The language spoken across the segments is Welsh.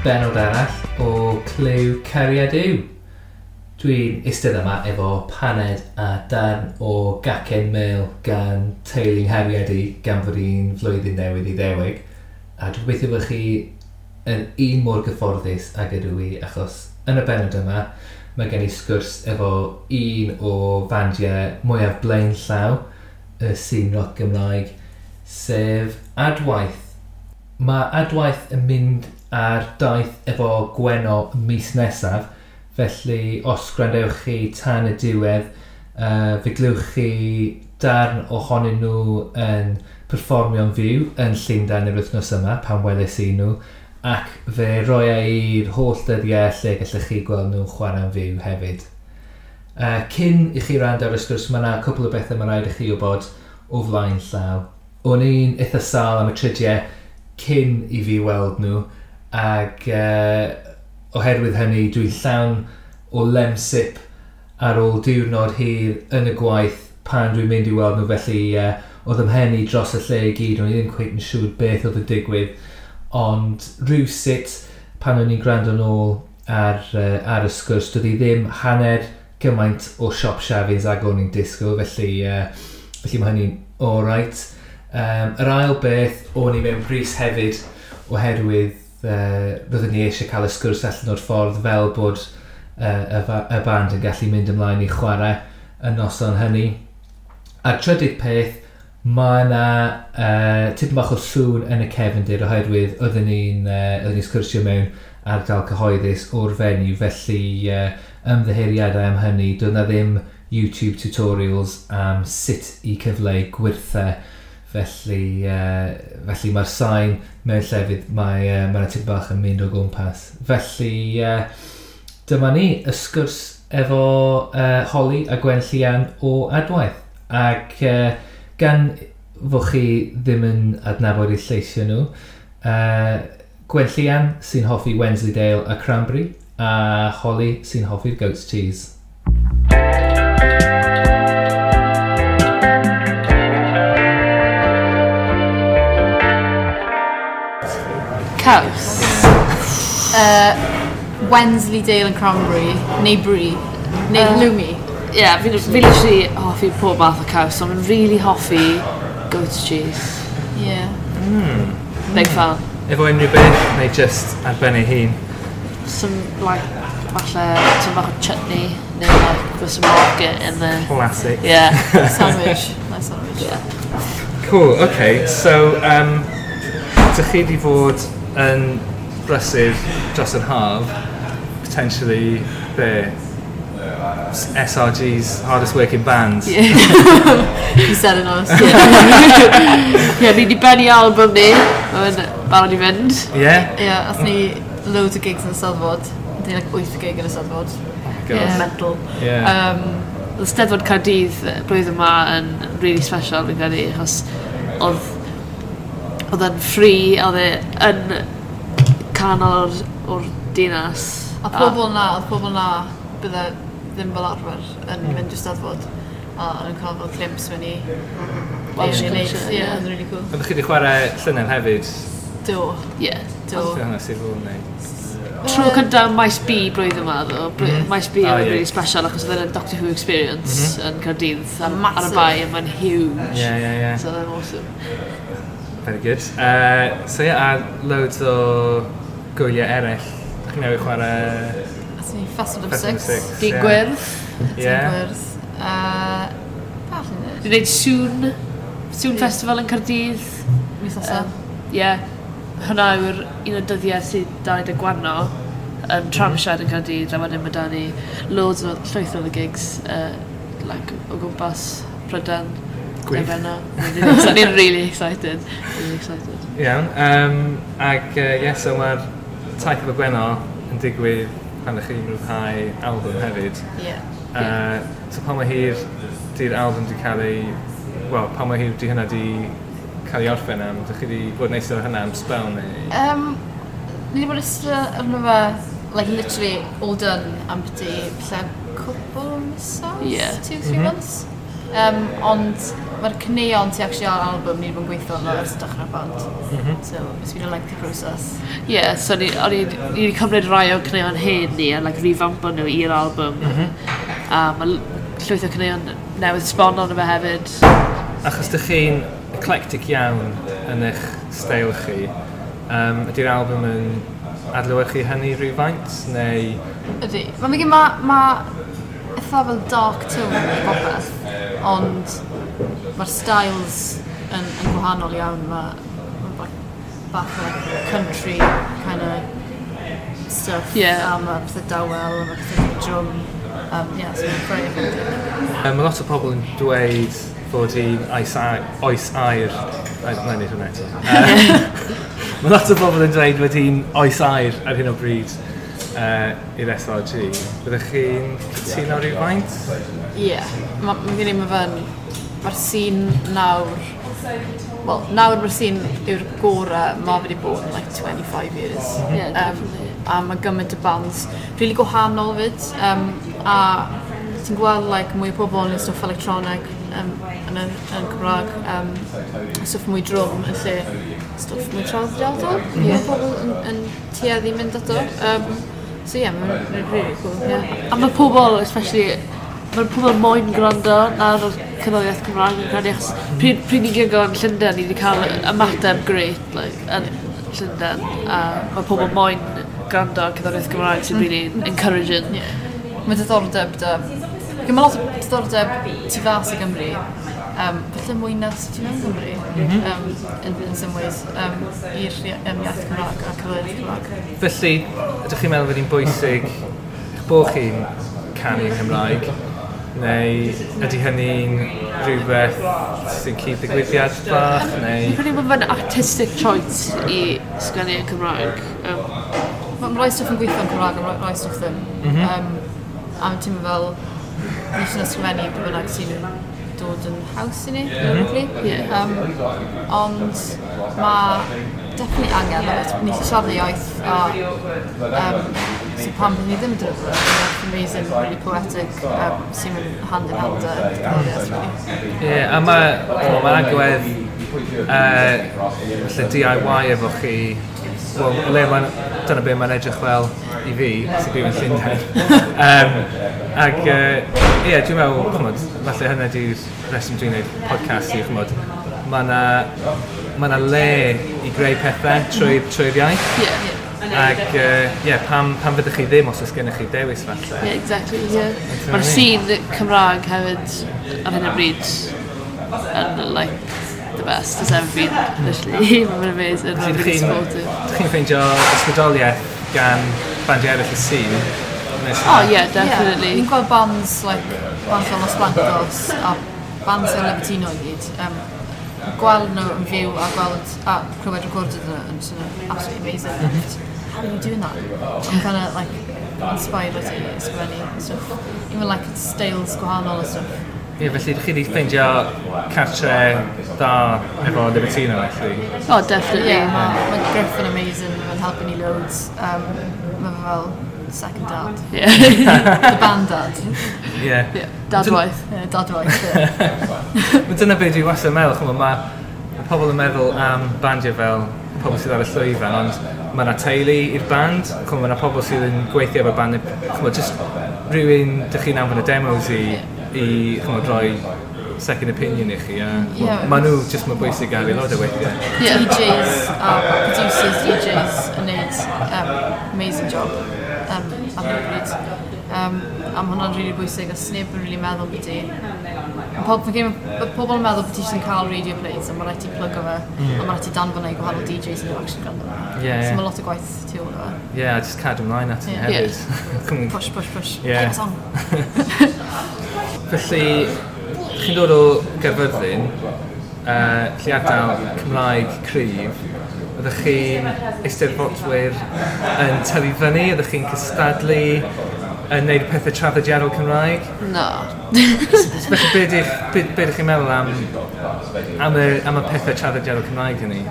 Benod arall o Clyw Cariad Yw. Dwi'n eistedd yma efo paned a darn o gacen mêl gan teulu nghariad i gan fod hi'n flwyddyn newydd i ddewig. A dwi'n gobeithio bod chi yn un mor gyfforddus ag ydw i, achos yn y benod yma mae gen i sgwrs efo un o fandiau mwyaf blaenllaw y sîn roc Gymraeg, sef Adwaith. Mae Adwaith yn mynd ar daith efo Gwenno mis nesaf, felly os gwrandewch chi tan y diwedd, fe glywch chi darn ohonyn nhw yn perfformio'n fyw yn Llundain yr wythnos yma pan weles i nhw, ac fe roia i'r holl dyddiau lle gallech chi gweld nhw'n chwarae'n fyw hefyd. Cyn i chi wrando ar y sgwrs, mae yna cwpl o bethau mae rhaid i chi wybod o flaen llaw. O'n i'n eitha sâl am y tridiau cyn i fi weld nhw, ac oherwydd hynny dwi'n llawn o lemsip ar ôl diwrnod hir yn y gwaith pan dwi'n mynd i weld nhw, felly oedd 'y mhen i dros y lle i gyd, o'n i ddim cweit yn siŵr beth oedd yn digwydd, ond rhywsut pan o'n i'n gwrando nôl ar y sgwrs, doedd hi ddim hanner gymaint o siop siafins ag o'n i'n disgwyl, felly mae hynny'n alright. Yr ail beth, o'n i mewn brys hefyd oherwydd roeddwn ni eisiau cael y sgwrs allan o'r ffordd fel bod y band yn gallu mynd ymlaen i chwarae y noson hynny. A'r trydydd peth, mae yna tipyn bach o sŵn yn y cefndir oherwydd oedden ni'n sgwrsio mewn ardal cyhoeddus o'r venue, felly ymddiheuriadau am hynny. Doedd 'na ddim YouTube tutorials am sut i cyfleu gwyrthau, felly mae'r sain mewn llefydd, mae yna tipyn bach yn mynd o gwmpas. Felly dyma ni, y sgwrs efo Holly a Gwenllian o Adwaith. Ac gan fod chi ddim yn adnabod eu lleisiau nhw, Gwenllian sy'n hoffi Wensleydale a Cranberry, a Holly sy'n hoffi'r goat's cheese. Caws. Wensleydale and Cranberry, neu Brie, neu Halloumi. Ie, yeah, fi literally hoffi pob math o caws, ond fi'n really hoffi goat's cheese. Yeah. Big fan. Efo unrhyw beth, neu just ar ben ei hun? Some, like, falle, some bach o chutney, neu like, with some rocket in the... Classic. Yeah. Sandwich. Nice sandwich. Yeah. Cool, okay. So, dych chi di fod yn brysur dros yr haf, potentially be? SRG's hardest working band. Yeah. You said it honestly. Yeah, ni di bennu album ni. Mae'n barod i fynd. Yeah? Yeah, ath ni loads o gigs yn y Steddfod. Ni like 8 gig yn y Steddfod. Oh my God. Yeah. Mental. Yeah. Oedd Steddfod Caerdydd blwyddyn yma yn really special, fi'n credu, achos oedd e'n free, oedd e yn canol o'r dinas. A pobl na, oedd pobl na bydde ddim fel arfer yn mynd i'r Steddfod a yn cael fel glimpse mewn i Welsh i culture, yeah, yeah. Oedd yn really cool. Oeddech chi wedi chwarae llynedd hefyd? Do. Yeah. Do. Beth hwnna sydd fod yn neud? Tro cyntaf Maes B blwyddyn yma, ddo. Maes B Oh, oedd yeah. really special achos oedd e'n Doctor Who experience yn Caerdydd ar y Massive. bae, a mae'n huge. Yeah, yeah, yeah. So oedd e'n awesome. Very good. So yeah, a loads o gwyliau eraill. Dych chi newydd chwarae Athon ni Festival of Festival Six. Six. Dyn yeah. Gwyrdd. Yeah. Gwyrdd. Falle ni. Dwi'n gwneud Sŵn Festival yn Caerdydd. Mis nesaf. Ie. Hwnna yw'r un o'r dyddiau sydd da ni 'da Gwenno yn Tramshed yn Caerdydd, a wedyn mae da ni loads o llwyth o gigs like, o gwmpas Prydain. Gwych. Gwenno. Ni'n really excited. Really excited. Iawn. Ac yeah, so mae'r taith efo Gwenno yn digwydd pan ydych chi'n rhyddhau album hefyd. Yeah. So pa mor hir di'r album di cael ei... Wel, pa mor hir di hynna di cael ei orffen am? Dych chi di bod yn eistedd ar hynna am spell neu? Ni wedi bod yn eistedd arno fe, like literally all done am byti, falle cwpl o misoedd? Yeah. 2-3 months. Ond Mae'r caneuon ti actually ar album ni wedi bod yn gweithio arno ers dechrau'r band. So it's been a lengthy process. Yeah, so o'n i wedi cymryd rai o'r caneuon hen ni a like, revampo nhw i'r album. A mae llwyth o caneuon newydd sbon arno fe hefyd. Achos dych chi'n eclectic iawn yn eich steil chi, ydy'r album yn adlewyrchu hynny rhywfaint, neu? Ydy. Mae'n ma eitha fel dark tone i bopeth, ond mae'r styles yn gwahanol iawn. Mae bach o like, country kind of stuff. A mae pethau dawel, a mae pethau drwm. Yeah, so mae'n very eclectic. Mae lot o pobl yn dweud fod hi'n oes aur. Na i wneud hwnna eto. Mae lot o bobl yn dweud fod hi'n oes aur ar hyn o bryd i'r SRG. Byddech chi'n cytuno rhywfaint? Ie. Yeah. Mae'r scene nawr... Wel, nawr mae'r scene yw'r gorau mae wedi bod yn like 25 years. Yeah, definitely. A mae gymaint o bands really gwahanol fyd. A ti'n gweld like, mwy o pobl yn stwff electronic yn Cymraeg, stwff mwy drwm yn lle stwff mwy traddodiadol. Mae pobl yn tueddu mynd ato. So yeah, mae'n really cool. Yeah. A mae pobl, especially, mae pobl moyn gwrando ar y cerddoriaeth Cymraeg yn credu, achos pryd ni'n gigo yn Llundain, ni wedi cael ymateb great, like, yn Llundain, a mae pobl moyn gwrando ar cerddoriaeth Cymraeg sy'n really encouraging. Yeah. Mae diddordeb da. Mae lot o diddordeb tu fas i Gymru. Falle mwy na tu mewn Gymru, in some ways, i'r iaith Cymraeg a cerddoriaeth Cymraeg. Felly, ydych chi'n meddwl fod hi'n bwysig eich bod chi'n canu yn Cymraeg, neu ydy hynny'n rhywbeth sy'n cyd-ddigwyddiad bach, neu? Fi'n credu bod fe'n artistic choice i sgwennu yn Cymraeg. Mae rai stwff yn gweithio yn Cymraeg a mae rai stwff ddim. A mae'n teimlo fel ni eisiau ysgrifennu be bynnag sy'n dod yn haws i ni, lyrically. Ond mae definitely angen, ni eisiau siarad y iaith a so pam byddwn ni ddim yn dod yn amazing, really poetic, sy'n mynd hand in hand â cerddoriaeth, really. Ie, yeah, a mae agwedd falle DIY efo chi, wel, le mae'n, dyna be mae'n edrych fel i fi, sy'n byw yn Llundain. Ac, ie, dwi'n meddwl, ch'mod, falle hynny di'r reswm dwi'n gwneud podcast i, ch'mod, mae 'na le i greu pethau trwy'r iaith. Ac, ie, pam fyddwch chi ddim os oes gennych chi dewis falle? Yeah, exactly, yeah. Mae'r scene Cymraeg hefyd ar hyn o bryd yn, like, the best has ever been, literally. Mae'n amazing, mae'n really supportive. Ydych chi'n ffeindio ysbrydoliaeth gan bandiau eraill y scene? Oh, yeah, definitely. Ni'n gweld bands, like, bands fel Los Blancos a bands fel Libertino i gyd. Gweld nhw yn fyw a gweld a clywed recorded nhw yn absolutely amazing. How are you doing that? I'm kind of like inspired i ysgrifennu stuff. Even like styles gwahanol a stuff. Ie, yeah, felly ydych chi wedi ffeindio cartre da efo Libertino, felly? Oh, definitely. Yeah, mae Griff yn amazing, mae'n helpu ni loads. Mae fe fel second dad. Yeah. The band dad. Yeah. Yeah, dadwaith. Yeah, dadwaith, yeah. Dyna beth dwi wastad yn meddwl, ch'mo, mae pobl yn meddwl am bandiau fel pobl sydd ar y llwyfan, ond mae yna teulu i'r band, ch'mo, mae yna pobl sydd yn gweithio efo'r band, ch'mo, just rhywun dych chi'n anfon y demos i ch'mo, rhoi second opinion i chi, a yeah. Maen nhw just mor bwysig ar aelodau weithiau. Yeah. DJs a producers, DJs yn neud amazing job ar hyn o bryd. A mae hwnna'n rili bwysig, a sneb yn rili meddwl beth i. Pobl yn meddwl bod ti jyst yn cael radio plays, a mae rhaid ti plygo fe, a mae rhaid ti danfon e i gwahanol DJs yn actually gwrando fe. Yeah, So mae lot o gwaith tu ôl i fe. Yeah, a just cadw ymlaen at hynny hefyd. Yeah. Push, push, push. Yeah. Play the song. Felly, chi'n dod o Gaerfyrddin, lle ardal Cymraeg cryf, ydych chi'n eisteddfodwyr yn tyfu fyny, ydych chi'n cystadlu yn neud pethau traddodiadol Cymraeg? No. Felly, be ydych chi'n meddwl am y pethau traddodiadol Cymraeg hynny?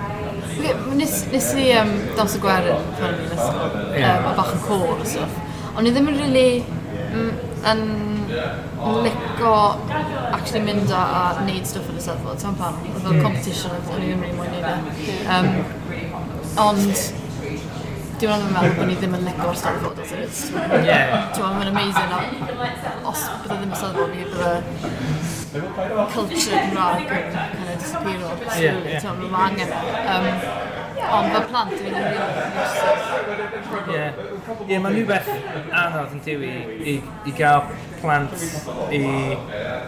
Nes i dawns y gwerin pan o'n i'n ysgol, a bach yn côr a stuff. Ond ni ddim yn really... yn lico actually mynd a neud stwff yn y Steddfod, ti'n pam? Oedd fel competition, o'n i ddim really moyn neud e. Ond dwi'n meddwl meddwl bod ni ddim yn lico'r Steddfod as it is. Ti'n meddwl, mae'n amazing, a os bydde ddim y Steddfod, ni bydde culture Cymraeg yn kind of disappear o. Slowly, ti'n meddwl, mae angen e. Ond fel plant, dyn ni'n really interested. Ie, mae'n rhywbeth anodd yn dyw i gael plant i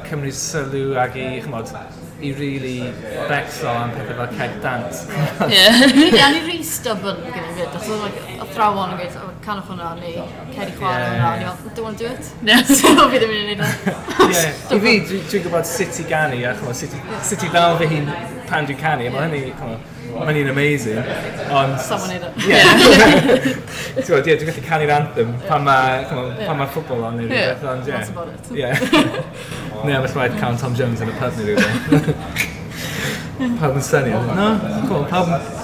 cymryd sylw ag i, ch'mod, i really becso am pethau fel cerdd dant. Ie, a ni rhy stubborn gyda fi fyd, achos oedd like, athrawon yn gweud, "Oh, canwch hwnna, neu cer i chwarae hwnna," a ni fel, "Don't want to do it." So fi ddim yn gwneud e. Ie. I fi, dwi'n gwybod sut i ganu a ch'mod, sut i ddal fy hun pan dwi'n canu, a mae hynny, ch'mod, mae hynny'n amazing. Ond Someone neud e. Ie. Ti'n gwybod, ie, dwi'n gallu canu'r anthem pan mae, ch'mod, pan mae ffwbol on neu rhywbeth, ond ie. That's about it. Ie. Neu ambell waith cael Tom Jones yn y pub neu rhywbeth. Pawb yn synnu. No, come on,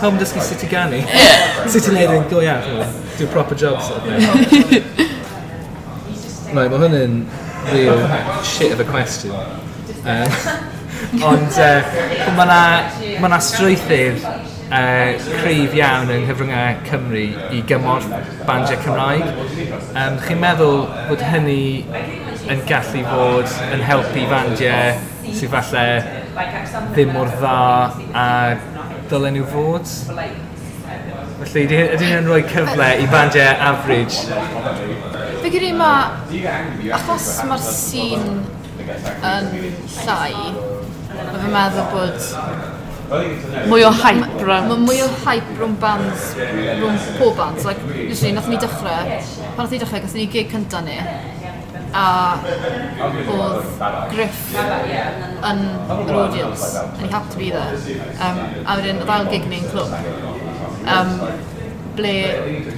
pawb yn dysgu sut i ganu. Sut i wneud yn go iawn, ch'mod, do a proper job sort of thing. Right, mae hwn yn real shit of a question. Ond mae na, ma na strwythur cryf iawn yng nghyfryngau Cymru i gymorth bandiau Cymraeg. Chi'n meddwl bod hynny yn gallu fod yn helpu fandiau sydd falle ddim mor dda a dylen nhw fod? Felly, ydy hynny'n rhoi cyfle i bandiau average? Fi credu mae, achos mae'r scene yn llai, mae fi'n meddwl bod mwy o hype rownd. Mae mwy o hype rhwng bands, rhwng pob bands. Like, literally, nath ni dechrau, pan nath ni dechrau, gathon ni gig cynta ni, a oedd Griff yn yr audience, and he happened to be there. A wedyn, oedd ail gig ni'n clwb. Ble,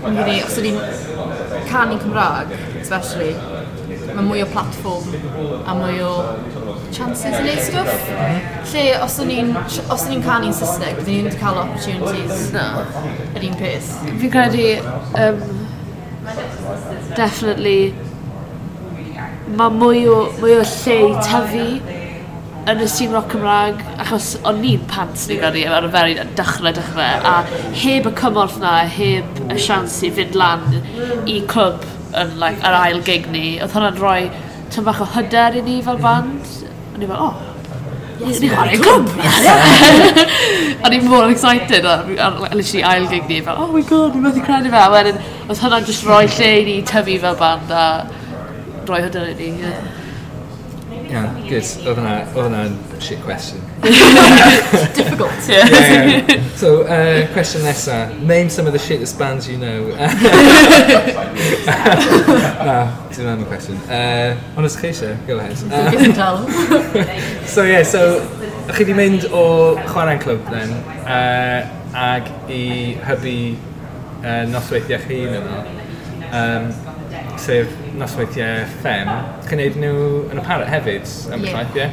fi'n credu, os ydyn ni'n canu Cymraeg, especially, mae mwy o platform a mwy o chances i wneud stwff. Lle, os o'n i'n canu'n Saesneg, byddwn ni'n cael opportunities No. yr un peth. Fi'n credu, definitely, mae mwy o lle i tyfu yn y scene rock Cymraeg, achos o'n ni'n pants ni'n credu ar y very dechrau, a heb y cymorth na, heb y siawns i fynd lan i clwb yn like, yr ail gig ni, oedd hwnna'n rhoi tyn bach o hyder i ni fel band. O'n i fel, "Oh, yes, ni chwarae clwb!" O'n i'n mor excited ar literally ail gig ni, fel, "Oh my God, ni'n methu credu fe." A wedyn, oedd hwnna'n just rhoi lle i ni tyfu fel band a rhoi hyder i ni. Yeah. Yeah, good. Oedd hwnna'n shit question. Difficult. Yeah. So, question nesa. Name some of the shittest bands you know. Na, dwi'n meddwl question. Ond os chi eisiau, go ahead. Give and tell. So yeah, so chi di mynd o chwarae'n clwb then, ag i hybu nosweithiau chi hun yno, sef nosweithiau Ffem. Chi'n neud nhw yn y Parrot hefyd, ambell waith, ie?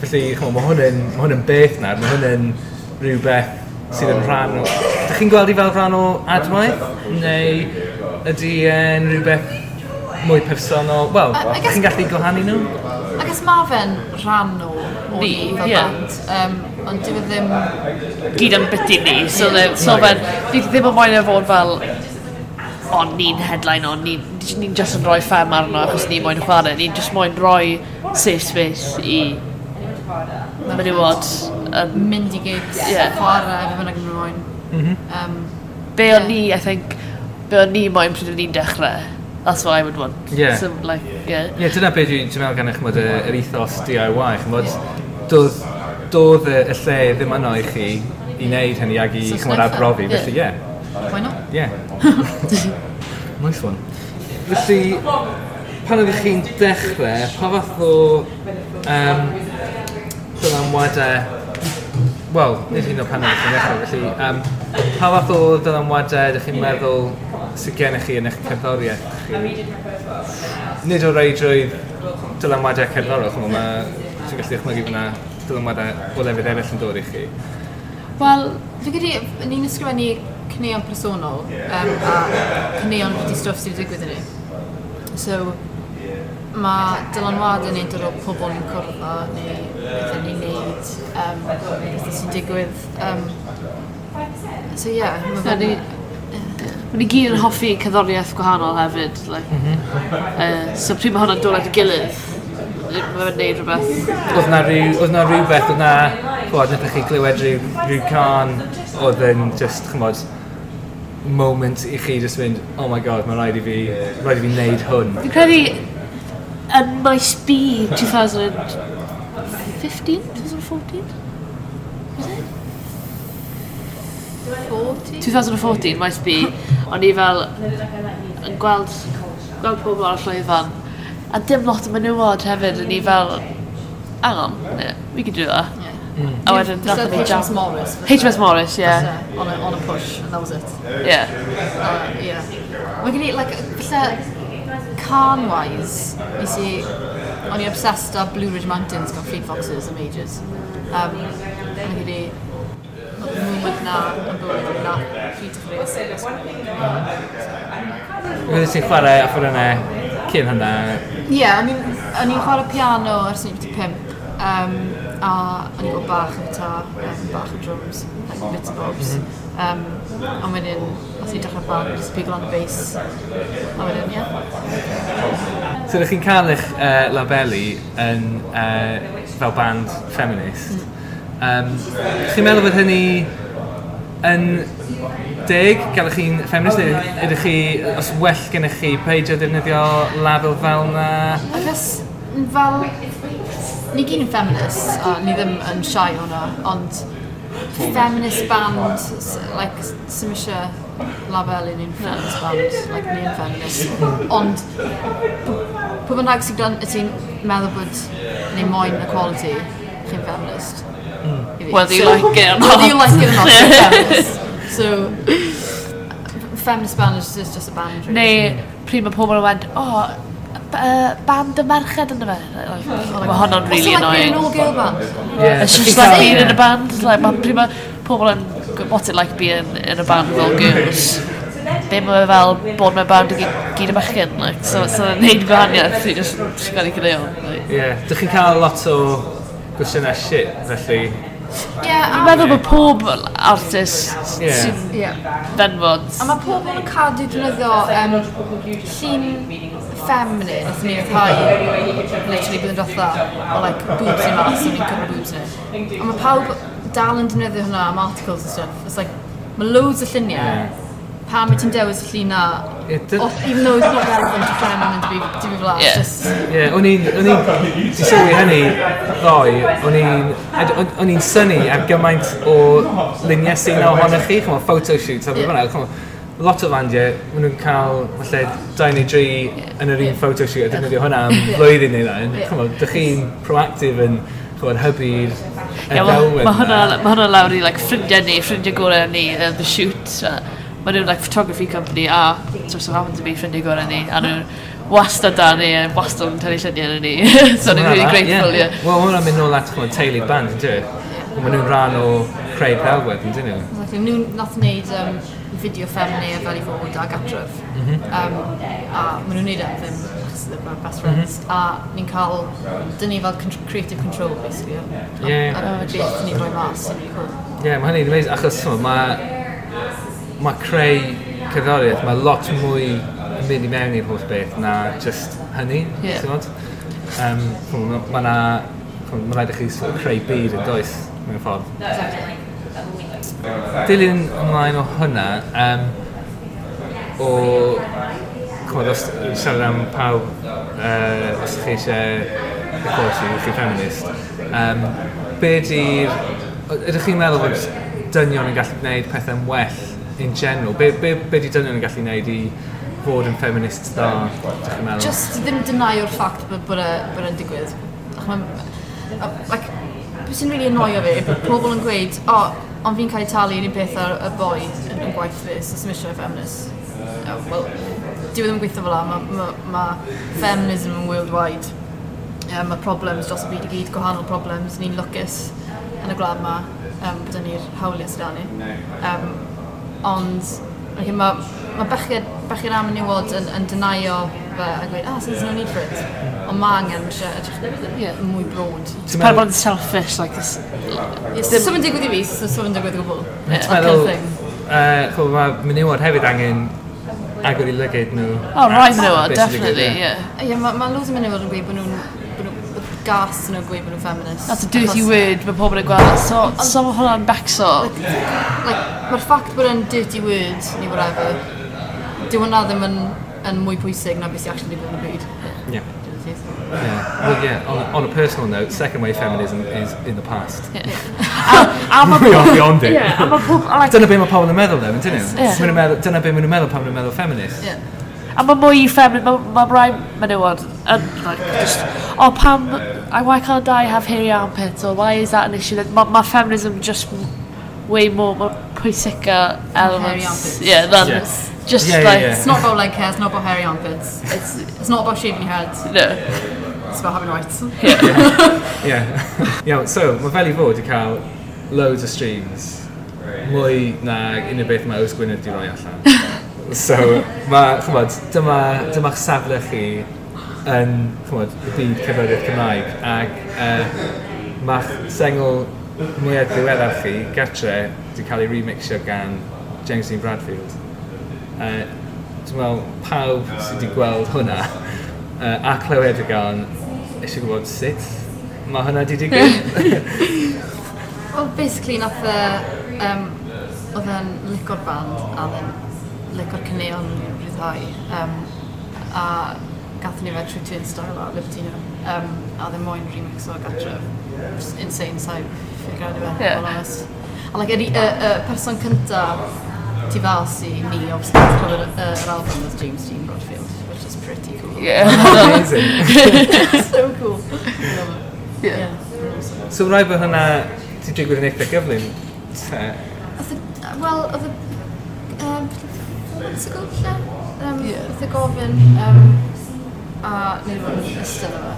Felly, ch'mo, ma hwn yn beth nawr, mae hwn yn rhywbeth sydd yn rhan o... Dych chi'n gweld i fel rhan o Adwaith? Neu ydy e'n rhywbeth mwy personol? Wel, I guess- chi'n gallu gwahanu nhw? I guess ma fe'n rhan o ni fel band. Ond dyw e ddim Gyd yn byty ni, so, so fe'n, fi ddim yn moyn e fod fel, o, ni'n headline o, ni'n ni just yn rhoi Ffem arno achos ni moyn chwarae, ni'n just moyn rhoi safe space i menywod. Mynd i gigs, chwarae, fe bynnag yn moyn. Be o'n ni, I think, be o'n ni moyn pryd o'n ni'n dechrau. That's what I would want. So, like, yeah. Ie, yeah, dyna beth dwi'n meddwl gan eich ch'mod, yr ethos DIY, ch'mod, doedd y lle ddim yno i chi i wneud hynny ag i So ch'mod, sneffa. arbrofi, felly ie. Why not? Yeah. Nice one. Felly, pan oeddech chi'n dechrau, pa fath o dylanwadau... Wel, nid hyn o pan oeddech chi'n dechrau, felly, pa fath o dylanwadau ydych chi'n meddwl sydd gennych chi yn eich cerddoriaeth chi? Nid o reidrwydd dylanwadau cerddorol, ch'mo, ti'n gallu dychmygu fyna dylanwadau o lefydd eraill yn dod i chi. Wel, fi credu, ni'n ysgrifennu caneuon personol a caneuon wedi stwff sydd wedi digwydd i ni. So, Mae dylanwadau ni'n dod o pobl ni'n cwrdd â, neu bethau ni'n neud, bethau sy'n digwydd. So ie, yeah, mae fe'n... Mae ni gyd yn hoffi cerddoriaeth gwahanol hefyd. Like. So pryd mae hwnna'n dod at ei gilydd, mae fe'n neud rhywbeth. Oedd na rhywbeth, oedd na, ch'mod, wnaethoch chi glywed rhyw cân oedd yn just, ch'mod, moment i chi just mynd, "Oh my God, mae rhaid i fi wneud hwn." Fi'n credu yn Maes B 2015, 2014? Was it? 40? 2014, Maes B, o'n i fel yn gweld pobl ar y llwyfan, a dim lot o menywod hefyd, o'n i fel, "Hang on, yeah, we can do that." Yeah. A wedyn Just nathon ni jam. HMS Morris. HMS Morris, yeah. Falle, on a push, and that was it. Yeah. Mae gen i, like, falle, cân-wise, nes i, o'n i obsessed â Blue Ridge Mountains gan Fleet Foxes am ages. Mae gen i, oedd y moment na yn bywyd na pryd dechreuais i ysgrifennu. Oeddet ti'n chwarae offerynnau cyn hynna? Ie, yeah, I mean, o'n i'n chwarae piano ers o'n i'n 5, a o'n i'n gwybod bach o guitar, bach o drums, like bits and bobs. Ond wedyn, os i'n dechrau band, just pigo lan y bass. A wedyn, ie. Yeah. So ydych chi'n cael eich labelu yn fel band feminist. Chi'n meddwl bod hynny yn deg, gael chi'n feminist, neu ydych chi, os well gennych chi peidio defnyddio label fel na? I guess, fel, ni gyd yn feminist, a ni ddim yn shy hwnna, ond feminist band, like, sy'm eisiau labelu ni'n feminist band, like, ni yn feminist. Ond, pwy bynnag sy'n gwrando, ti'n meddwl bod ni moyn equality, chi'n feminist. I fi. Whether you like it or not. Whether you like it or not, you're feminist. So, feminist band is just a band, really. Neu pryd mae pobl yn wend, "Oh, band y merched yna fe." Like, mae hwnna'n really What's it like being annoying. an all-girl band? Yeah. It's just like being in a band. Like, mae pryd mae pobl yn, "What's it like being in a band with all girls?" Be mae fel bod mewn band i gyd y bechgyn. Like, so neud gwahaniaeth i just sgwennu caneuon. Like. Yeah. Dych chi'n cael lot o gwestiynau shit, felly? Yeah, Fi'n meddwl bod pob artist sy'n fenwod. A mae pobl yn cadw defnyddio llun feminine, nath ni ryddhau literally blwyddyn diwetha, o like boobs i mas, o'n i'n cwrdd boobs ni. A mae pawb dal yn defnyddio hwnna am articles and stuff. It's like, mae loads o lluniau. Pam wyt ti'n dewis y llun na? Ie, Even though it's not relevant to feminine to be fel 'na, just. Ie, o'n i'n, ti sylwi hynny ddoe, o'n i'n synnu ar gymaint o luniau sy'n ohonych chi, ch'mod, photo shoots a beth bynnag, ch'mod, lot o fandiau, maen nhw'n cael falle dau neu dri yn yr un photo shoot a defnyddio hwnna am flwyddyn neu ddau. Ch'mod, dych chi'n proactive yn, ch'mod, hybu'r y Ie, ddelwedd ma hwnna, 'na. ma hwnna lawr i like, ffrindiau ni, ffrindiau gorau ni, The Shoot. Ma nhw'n like, photography company a so happen to be ffrindiau gorau ni. A nhw'n wastad da ni, a wastad yn tynnu lluniau yn ni. So ni'n really grateful, ie. Wel, ma' hwnna'n mynd nôl at, ch'mod, teulu band, yn dwi? Maen nhw'n rhan o creu'r ddelwedd, yn dyn nhw? Exactly. Nhw nath wneud fideo Ffemini a Fel i Fod a Gatref. A maen nhw'n neud e am ddim, achos they're my best friends. A ni'n cael, dyn ni fel creative control, basically. A beth ni'n rhoi mas, sy'n really cool. Ie, yeah, mae hynny'n amazing, achos ch'mod, mae creu cerddoriaeth, mae lot mwy yn mynd i mewn i'r holl beth na just hynny, ti'n gwbod? Ch'mod, mae na, ch'mod, mae rhaid i chi sort of creu byd yn does, mewn ffordd. Exactly. Dilyn ymlaen o hwnna, o, ch'mod, os siarad am pawb, os ydych chi eisiau equality, ydych chi'n feminist, be di'r, ydych chi'n meddwl bod dynion yn gallu gwneud pethau'n well in general? Be di dynion yn gallu gwneud i fod yn feminist dda, ydych chi'n meddwl? Just ddim denyo'r ffact bod e'n digwydd. Ach, like, beth sy'n really annoyo fi, bod pobl yn gweud, "O, oh, ond fi'n cael ei talu yr un peth ar y boi yn gwaith fi, so sy'm eisiau feminist." Oh, well, dyw e ddim yn gweithio fel 'na, ma feminism yn worldwide. Mae problems dros y byd i gyd, gwahanol problems, ni'n lwcus yn y gwlad yma, bod ni'r hawliau sydd 'da ni. Ond okay, mae Mae bechgyn a menywod yn denio fe a gweud, ah, so there's no need for it. Ond mae angen, mae eisiau edrych mwy broad. Ti'n meddwl bod yn selfish, like this... So mae'n digwydd i fi, so mae'n digwydd o gwbl. Ti'n meddwl, mae menywod hefyd angen agor i lygaid nhw. Oh, right, menywod, definitely, yeah. Ie, mae loads o menywod yn gweud bod nhw'n gas yn nhw'n gweud bod nhw'n feminist. That's a dirty word, mae pobl yn gweld. So mae hwnna'n becso. Like, mae'r ffact bod e'n dirty word, neu whatever, dyw hwnna ddim yn mwy pwysig na beth sy'n actually digwydd yn y byd. Yeah. Yeah. Well, yeah, on a personal note, second wave feminism is in the past. Yeah. We are beyond it. Yeah, like, dyna be mae pobl yn meddwl, though, ydyn nhw? Dyna be maen nhw'n meddwl pan maen nhw'n meddwl feminist. Yeah. A mae mwy feminist, mae rai menywod yn, like, just, oh, pam, why can't I have hairy armpits, or why is that an issue? Mae feminism just way more, mae pwysica elements. Yeah, than, yeah. Just yeah, like... Yeah. It's not about leg hair, it's not about hairy armpits. It's not about shaving your head. No. It's about having rights. Yeah. Yeah. Iawn, so, mae fel i fod i cael loads o streams. Mwy na unrhyw beth mae Ows Gwynedd di roi allan. So, mae, chymod, dyma'ch safle chi yn, chymod, y byd cerddoriaeth Cymraeg. Ac ma'ch sengl mwyaf ddiweddar chi, Gartre, di cael ei remixio gan James Dean Bradfield. Dwi'n meddwl, pawb sydd wedi gweld hwnna a clywed y gan eisiau gwybod sut mae hwnna wedi digwydd. Well, basically, nath oedd e'n lico'r band a oedd e'n lico'r caneuon rhyddhau. A gathon ni fe trwy Turnstile a Libertino. A oedd e'n moyn remix o Gartref. Just insane, so figure out fe, yeah. Honest. A like, y person cynta tu fas i ni, obviously, clywed yr album was James Dean Bradfield, which is pretty cool. Yeah. Amazing. So cool. Love it. Yeah. Yeah. So rhaid bod hwnna ti digwydd yn eitha gyflym? Wel, oedd y... 4 months ago, lle? Oedd y gofyn, a nid o'n ystod yma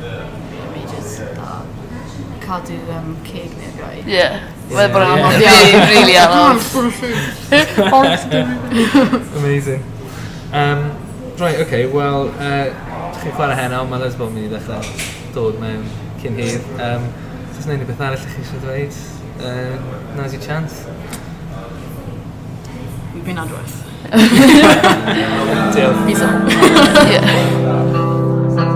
am ages, a cadw ceg neu'r gai. Yeah. Mae'n bod yn anodd. Really, really anodd. Amazing. Right, okay, well, chi'n chwarae heno, mae Lesbo yn mynd i ddechrau dod mewn cyn hir. Oes yna unrhyw beth arall chi eisiau dweud? Now's your chance. We've been adwaith. Diolch. Peace out. Yeah. Thank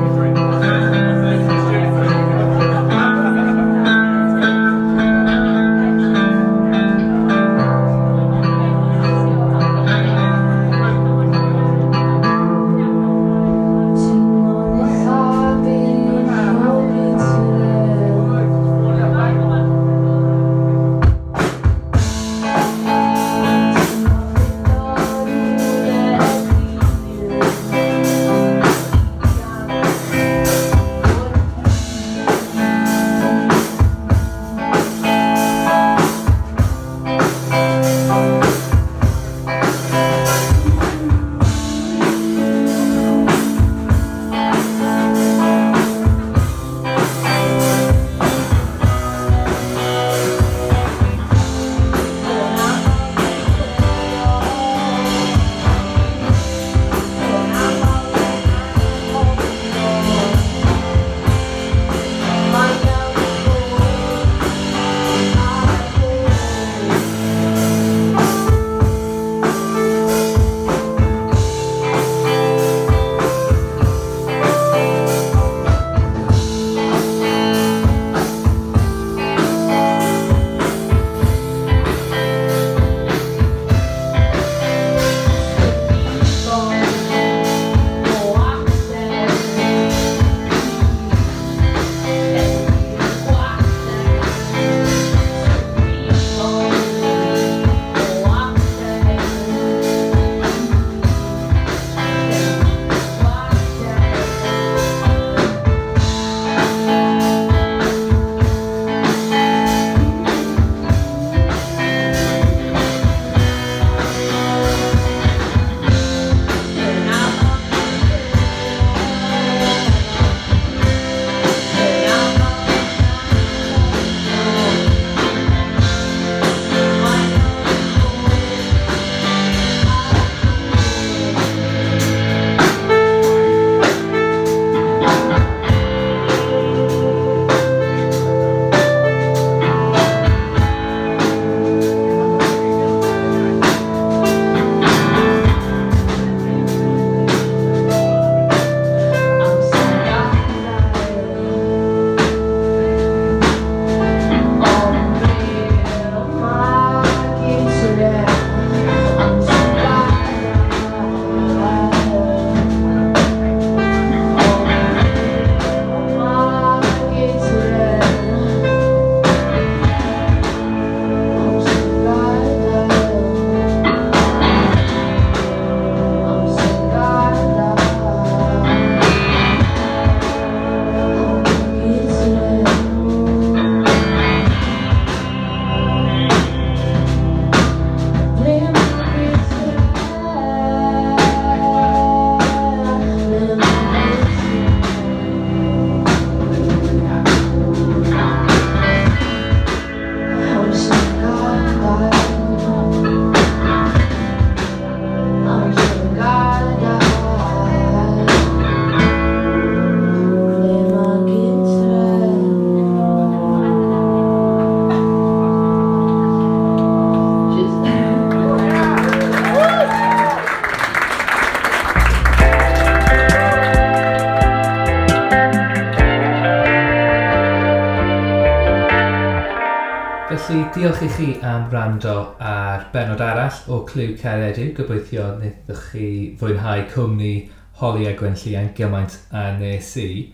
Felly, diolch i chi am wrando ar benod arall o Clyw Cariad Yw. Gobeithio wnaethoch chi fwynhau cwmni Holly a Gwenllian gymaint a nes i.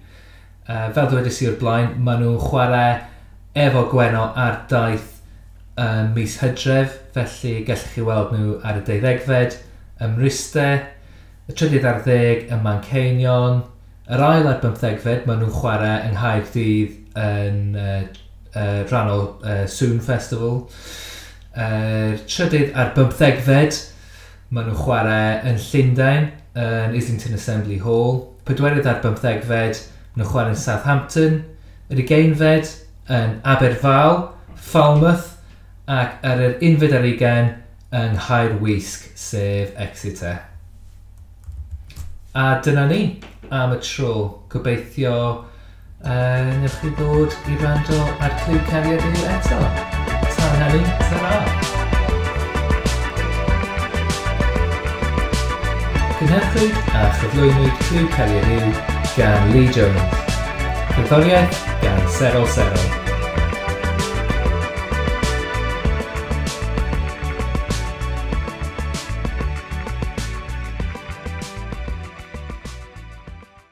Fel dywedais i o'r blaen, maen nhw'n chwarae efo Gwenno ar daith mis Hydref, felly gallwch chi weld nhw ar y 12fed ym Mryste, y 13 ym Manceinion, yr 2nd, maen nhw'n chwarae yng Nghaerdydd yn rhan o Soon Festival. 3rd, maen nhw'n chwarae yn Llundain, yn Islington Assembly Hall. 4th, maen nhw'n chwarae yn Southampton. Yr 20fed yn Aberfal, Falmouth, ac ar yr 21st yng Nghaerwysg, sef Exeter. A dyna ni am y tro. Gobeithio newch chi ddod i wrando ar Clyw Cariad Yw eto. Tan hynny, ta-ra! Cynhyrchwyd a chyflwynwyd Clyw Cariad Yw gan Lee Jones. Cerddoriaeth gan Serol Serol.